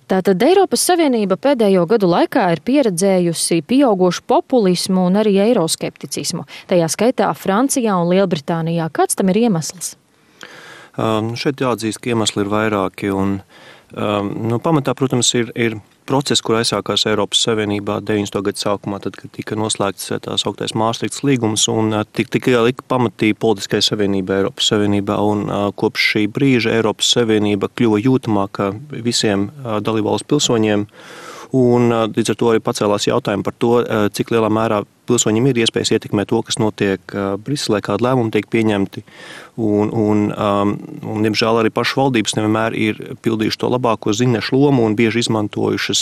Tātad Eiropas Savienība pēdējo gadu laikā ir pieredzējusi pieaugošu populismu un arī eiroskepticismu. Tajā skaitā Francijā un Lielbritānijā. Kāds tam ir iemesls? Šeit jāatzīst, ka iemesli ir vairāki. Pamatā, protams, ir process, kur aizsākās Eiropas Savienībā 90. gadu sākumā, tad, kad tika noslēgts tās augtais Māstrihtas līgums un tika ielika pamatī politiskai savienībai Eiropas Savienībā. Un kopš šī brīža Eiropas Savienība kļuva jūtamāka visiem dalībvalstu pilsoņiem. Un līdz ar to arī pacēlās jautājumi par to, cik lielā mērā pilsoņiem ir iespējas ietekmēt to, kas notiek Briselē, kādi lēmumi tiek pieņemti. Diemžēl arī pašu valdības nevienmēr ir pildījuši to labāko zināšu lomu un bieži izmantojušas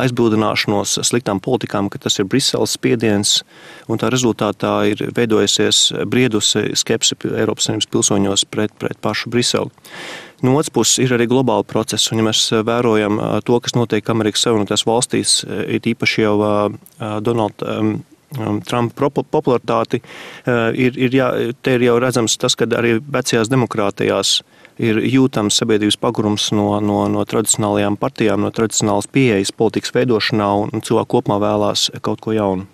aizbildināšanos sliktām politikām, ka tas ir Briseles spiediens, un tā rezultātā ir veidojusies briedusi skepse Eiropas Savienības pilsoņos pret pašu Briseli. No otras puses ir arī globāli procesi, un ja mēs vērojam to, kas notiek Amerikas Savienotās valstīs, ir īpaši jau Donalda Trumpa popularitāti, te ir jau redzams tas, ka arī vecajās demokrātijās ir jūtams sabiedrības pagurums no tradicionālajām partijām, no tradicionālas pieejas politikas veidošanā, un cilvēki kopumā vēlās kaut ko jaunu.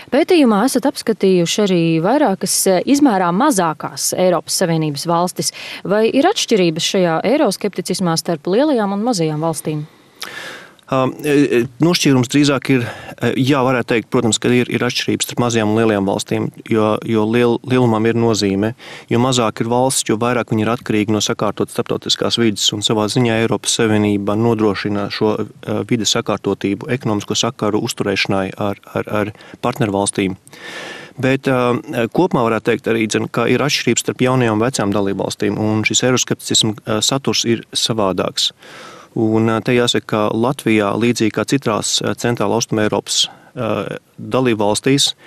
Pētījumā esat apskatījuši arī vairākas izmērā mazākās Eiropas Savienības valstis. Vai ir atšķirības šajā eiroskepticismā starp lielajām un mazajām valstīm? Nošķīrums drīzāk ir, varētu teikt, protams, ka ir atšķirības starp mazajām un lielajām valstīm, jo lielumam ir nozīme. Jo mazāk ir valsts, jo vairāk viņi ir atkarīgi no sakārtot starptautiskās vides, un savā ziņā Eiropas Savienība nodrošina šo vides sakārtotību, ekonomisko sakaru uzturēšanai ar partnervalstīm. Bet kopumā varētu teikt arī, ka ir atšķirības starp jaunajām un vecām dalībvalstīm, un šis eiroskepticisma saturs ir savādāks. Un te jāsaka, ka Latvijā, līdzīgi kā citās centrāla austruma Eiropas dalībvalstīs,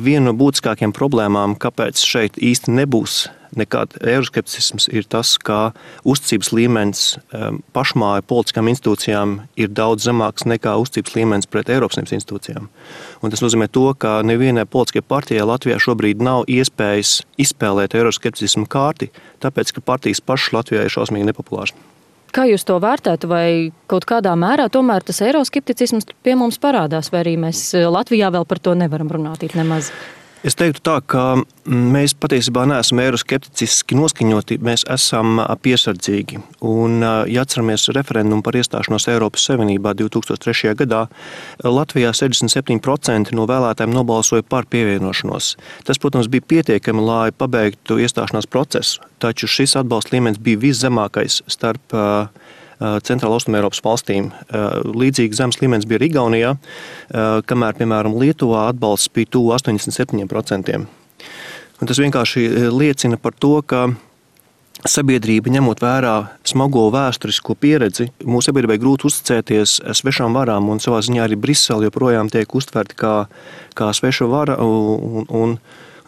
viena no būtiskākajām problēmām, kāpēc šeit īsti nebūs nekāda eiroskepticisms, ir tas, ka uzticības līmenis pašmāju politiskām institūcijām ir daudz zemāks nekā uzticības līmenis pret Eiropas Savienības institūcijām. Un tas nozīmē to, ka nevienai politiskajai partijai Latvijā šobrīd nav iespējas izspēlēt eiroskepticismu kārti, tāpēc, ka partijas pašas Latvijā ir šausmīgi nepopulāras. Kā jūs to vērtētu, vai kaut kādā mērā tomēr tas eiroskepticisms pie mums parādās, vai arī mēs Latvijā vēl par to nevaram runāt nemaz? Es teiktu tā, ka mēs patiesībā neesam eiroskepticiski noskaņoti, mēs esam piesardzīgi. Un, ja atceramies referendumu par iestāšanos Eiropas Savienībā 2003. gadā, Latvijā 67% no vēlētājiem nobalsoja par pievienošanos. Tas, protams, bija pietiekami, lai pabeigtu iestāšanās procesu, taču šis atbalsta līmenis bija viszemākais starp Centrāla Austruma Eiropas valstīm. Līdzīgi zemes līmenis bija Igaunijā, kamēr, piemēram, Lietuvā atbalsts bija tuvu 87%. Un tas vienkārši liecina par to, ka sabiedrība, ņemot vērā smago vēsturisko pieredzi, mūsu sabiedrībai grūti uzticēties svešām varām, un savā ziņā arī Brisele joprojām tiek uztverta kā sveša vara, un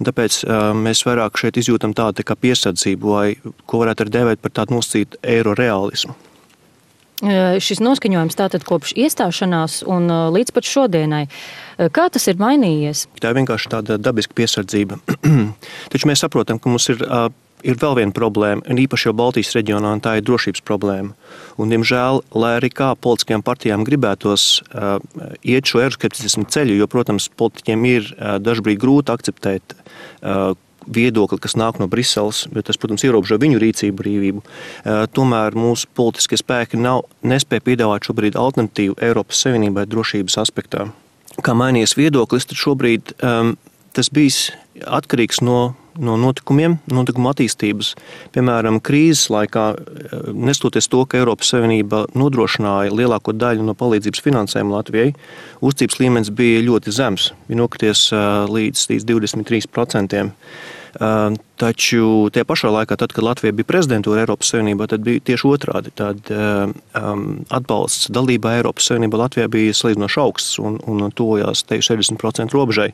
tāpēc mēs vairāk šeit izjūtam tādu kā piesardzību, vai ko varētu arī dēvēt par tādu nosacītu eiroreālismu. Šis noskaņojums tātad kopš iestāšanās un līdz pat šodienai. Kā tas ir mainījies? Tā ir vienkārši tāda dabiska piesardzība. Taču mēs saprotam, ka mums ir vēl viena problēma, un īpaši jau Baltijas reģionā, un tā ir drošības problēma. Un, diemžēl, lai arī kā politiskajām partijām gribētos iet šo eiroskepticismu ceļu, jo, protams, politiķiem ir dažbrīd grūti akceptēt viedokli, kas nāk no Briseles, bet tas, protams, ierobežo viņu rīcību brīvību. Tomēr mūsu politiskie spēki nespēja piedāvāt šobrīd alternatīvu Eiropas Savienībai drošības aspektā. Kā mainījies viedoklis, tad šobrīd tas bijis atkarīgs no notikumiem, notikuma attīstības. Piemēram, krīzes laikā, nestoties to, ka Eiropas Savienība nodrošināja lielāko daļu no palīdzības finansējuma Latvijai, uzticības līmenis bija ļoti zems, bija nokrities līdz 23%. Taču tie pašā laikā, tad, kad Latvija bija prezidentūra Eiropas Savienībā, tad bija tieši otrādi. Tad atbalsts dalībā Eiropas Savienībā Latvijā bija salīdzinoši augsts un tuvojās 60% robežai.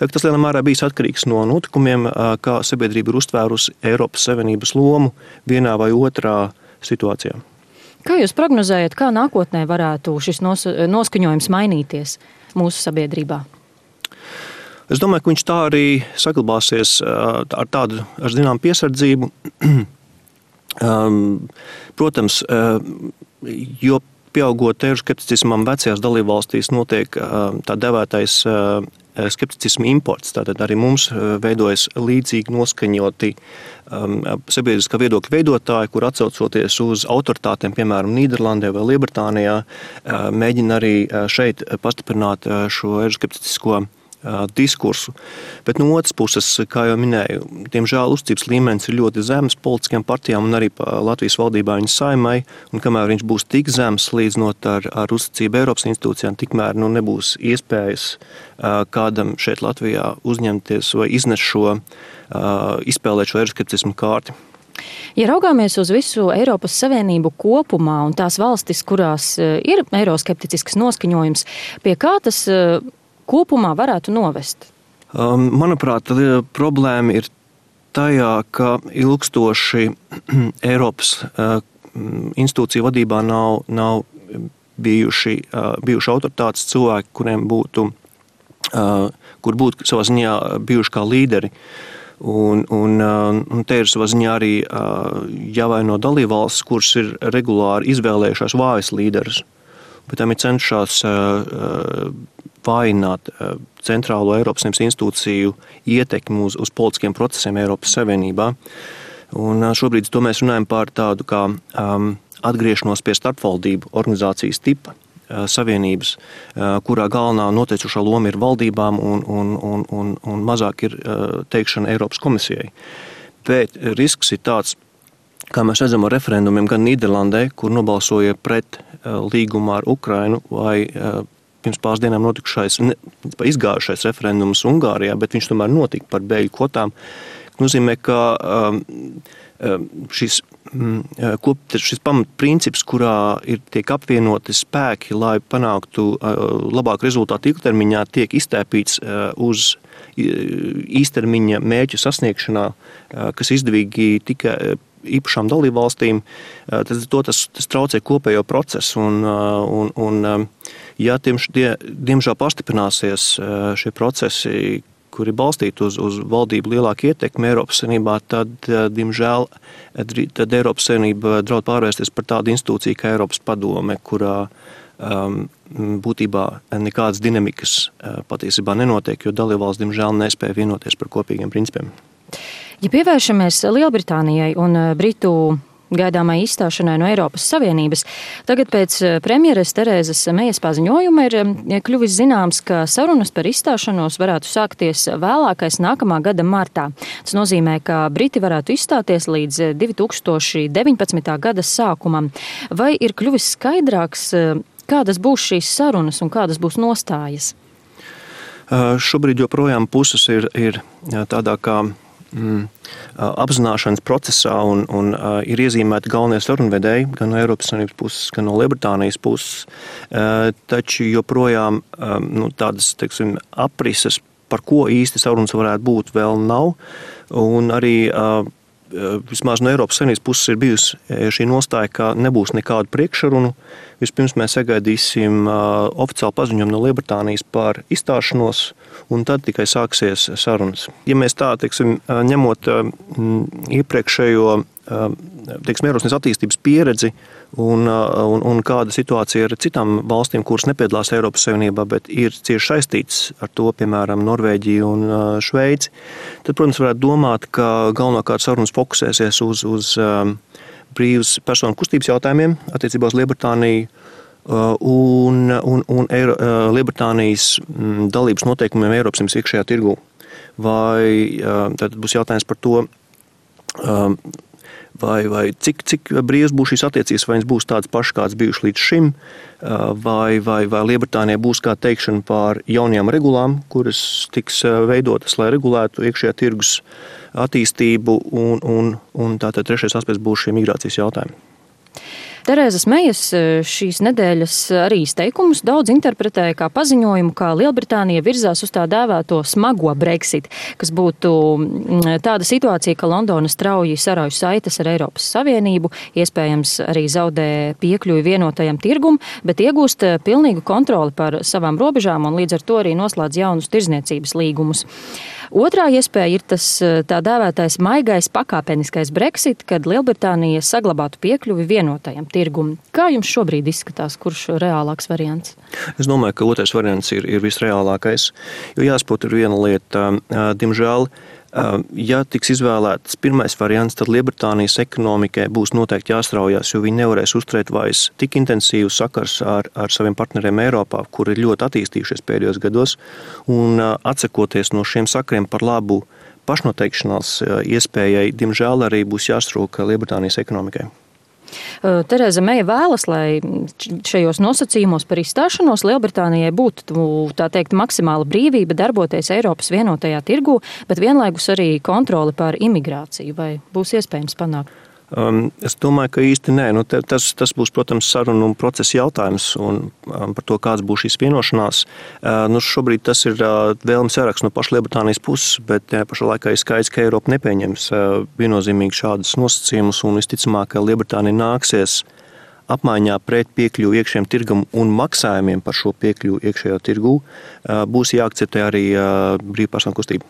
Tad tas lielā mērā bijis atkarīgs no notikumiem, kā sabiedrība ir uztvērusi Eiropas Savienības lomu vienā vai otrā situācijā. Kā jūs prognozējat, kā nākotnē varētu šis noskaņojums mainīties mūsu sabiedrībā? Es domāju, ka viņš tā arī saglabāsies ar zinām piesardzību. Protams, jo pieaugot eiroskepticismam vecajās dalībvalstīs notiek tā devētais skepticisma imports. Tātad arī mums veidojas līdzīgi noskaņoti sabiedriskā viedokļa veidotāji, kur atsaucoties uz autoritātiem, piemēram, Nīderlandē vai Lielbritānijā, mēģina arī šeit pastiprināt šo eiroskepticisko diskursu. Bet no otras puses, kā jau minēju, diemžēl uzticības līmenis ir ļoti zems politiskajām partijām un arī Latvijas valdībā viņa Saeimai, un kamēr viņš būs tik zems līdzinot ar uzticību Eiropas institūcijām, tikmēr nebūs iespējas kādam šeit Latvijā uzņemties vai iznest izspēlēt šo eiroskepticismu kārti. Ja raugāmies uz visu Eiropas Savienību kopumā un tās valstis, kurās ir eiroskepticisks noskaņojums, pie kā tas kopumā varētu novest? Manuprāt, problēma ir tajā, ka ilgstoši Eiropas institūciju vadībā nav bijuši autoritātes cilvēki, kur būtu savā ziņā bijuši kā līderi. Un te ir savā ziņā arī jāvaino dalībvalstis, kuras ir regulāri izvēlējušās vājas līderus. Bet tam ir cenšās vājināt centrālo Eiropas Savienības institūciju ietekmi uz politiskiem procesiem Eiropas Savienībā. Un šobrīd to mēs runājam par tādu kā atgriešanos pie starpvaldību organizācijas tipa savienības, kurā galvenā noteicošā loma ir valdībām un mazāk ir teikšana Eiropas komisijai. Bet risks ir tāds, kā mēs redzam ar referendumiem gan Nīderlandē, kur nobalsoja pret līgumu ar Ukrainu, vai pirms pāris dienām izgājušais referendums Ungārijā, bet viņš tomēr notika par bēgļu kvotām. Nozīmē, ka šis pamatprincips, kurā tiek apvienoti spēki, lai panāktu labāku rezultātu ilgtermiņā, tiek iztēpīts uz īstermiņa mērķu sasniegšanā, kas izdevīgi tikai īpašām dalībvalstīm, tas traucē kopējo procesu. Ja diemžēl pastiprināsies šie procesi, kuri balstīti uz valdību lielāku ietekmi Eiropas Savienībā, tad, diemžēl, Eiropas Savienība draud pārvērsties par tādu institūciju kā Eiropas padome, kurā būtībā nekādas dinamikas patiesībā nenotiek, jo dalībvalsts, diemžēl, nespēja vienoties par kopīgiem principiem. Ja pievēršamies Lielbritānijai un Britu gaidāmai izstāšanai no Eiropas Savienības, tagad pēc premjeres Terēzes Mejas paziņojuma ir kļuvis zināms, ka sarunas par izstāšanos varētu sākties vēlākais nākamā gada martā. Tas nozīmē, ka Briti varētu izstāties līdz 2019. gada sākumam. Vai ir kļuvis skaidrāks, kādas būs šīs sarunas un kādas būs nostājas? Šobrīd joprojām puses ir tādā kā apzināšanas procesā un ir iezīmēti galvenie sarunvedēji gan no Eiropas Savienības puses, gan no Lielbritānijas puses, taču joprojām tādas, teiksim, aprises, par ko īsti sarunas varētu būt, vēl nav, un arī vismaz no Eiropas Savienības puses ir bijusi šī nostāja, ka nebūs nekādu priekšsarunu. Vispirms mēs sagaidīsim oficiālu paziņojumu no Lielbritānijas par izstāšanos, un tad tikai sāksies sarunas. Ja mēs tā, teiksim, ņemot iepriekšējo, teiksim, Eiropas attīstības pieredzi un kāda situācija ar citām valstīm, kuras nepiedalās Eiropas Savienībā, bet ir cieši saistīts ar to, piemēram, Norvēģiju un Šveici, tad, protams, varētu domāt, ka galvenokārt sarunas fokusēsies uz brīvas personu kustības jautājumiem attiecībā uz Lielbritāniju un Lielbritānijas dalības noteikumiem Eiropas Savienības iekšējā tirgū. Vai tad būs jautājums par to, vai cik brīvas būs šīs attiecības, vai viņas būs tādas pašas, kādas bijušas līdz šim, vai Lielbritānijai būs kā teikšana par jaunajām regulām, kuras tiks veidotas, lai regulētu iekšējā tirgus attīstību, un tātad trešais aspekts būs šie migrācijas jautājumi. Terēzes Mejas šīs nedēļas arī izteikumus daudz interpretēja kā paziņojumu, kā Lielbritānija virzās uz tā dēvēto smago Brexit, kas būtu tāda situācija, ka Londona strauji sarauj saites ar Eiropas Savienību, iespējams arī zaudē piekļuvi vienotajam tirgum, bet iegūst pilnīgu kontroli par savām robežām un līdz ar to arī noslēdz jaunus tirdzniecības līgumus. Otrā iespēja ir tas tā dēvētais maigais pakāpeniskais Brexit, kad Lielbritānija saglabātu piekļuvi vienotajam tirgumu. Kā jums šobrīd izskatās, kurš reālāks variants? Es domāju, ka otrais variants ir visreālākais, jo jāsaprot ir viena lieta, diemžēl, ja tiks izvēlēts pirmais variants, tad Lielbritānijas ekonomikai būs noteikti jāstraujās, jo viņi nevarēs uzturēt vairs tik intensīvu sakars ar saviem partneriem Eiropā, kuri ir ļoti attīstījušies pēdējos gados, un atsakoties no šiem sakariem par labu pašnoteikšanās iespējai, diemžēl arī būs jāstrūk Lielbritānijas ekonomikai. Tereza Meija vēlas, lai šajos nosacījumos par izstāšanos Lielbritānijai būtu, tā teikt, maksimāla brīvība darboties Eiropas vienotajā tirgū, bet vienlaikus arī kontroli pār imigrāciju. Vai būs iespējams panākt? Es domāju, ka īsti nē. Tas būs, protams, sarunu un procesa jautājums un par to, kāds būs šīs vienošanās. Šobrīd tas ir vēlmes saraksts no paša Lielbritānijas puses, bet pašā laikā ir skaidrs, ka Eiropa nepieņems viennozīmīgi šādus nosacījumus un visticamāk, ka Lielbritānija nāksies apmaiņā pret piekļuvu iekšējiem tirgum un maksājumiem par šo piekļuvu iekšējā tirgū būs jāakceptē arī brīvpersonu kustība.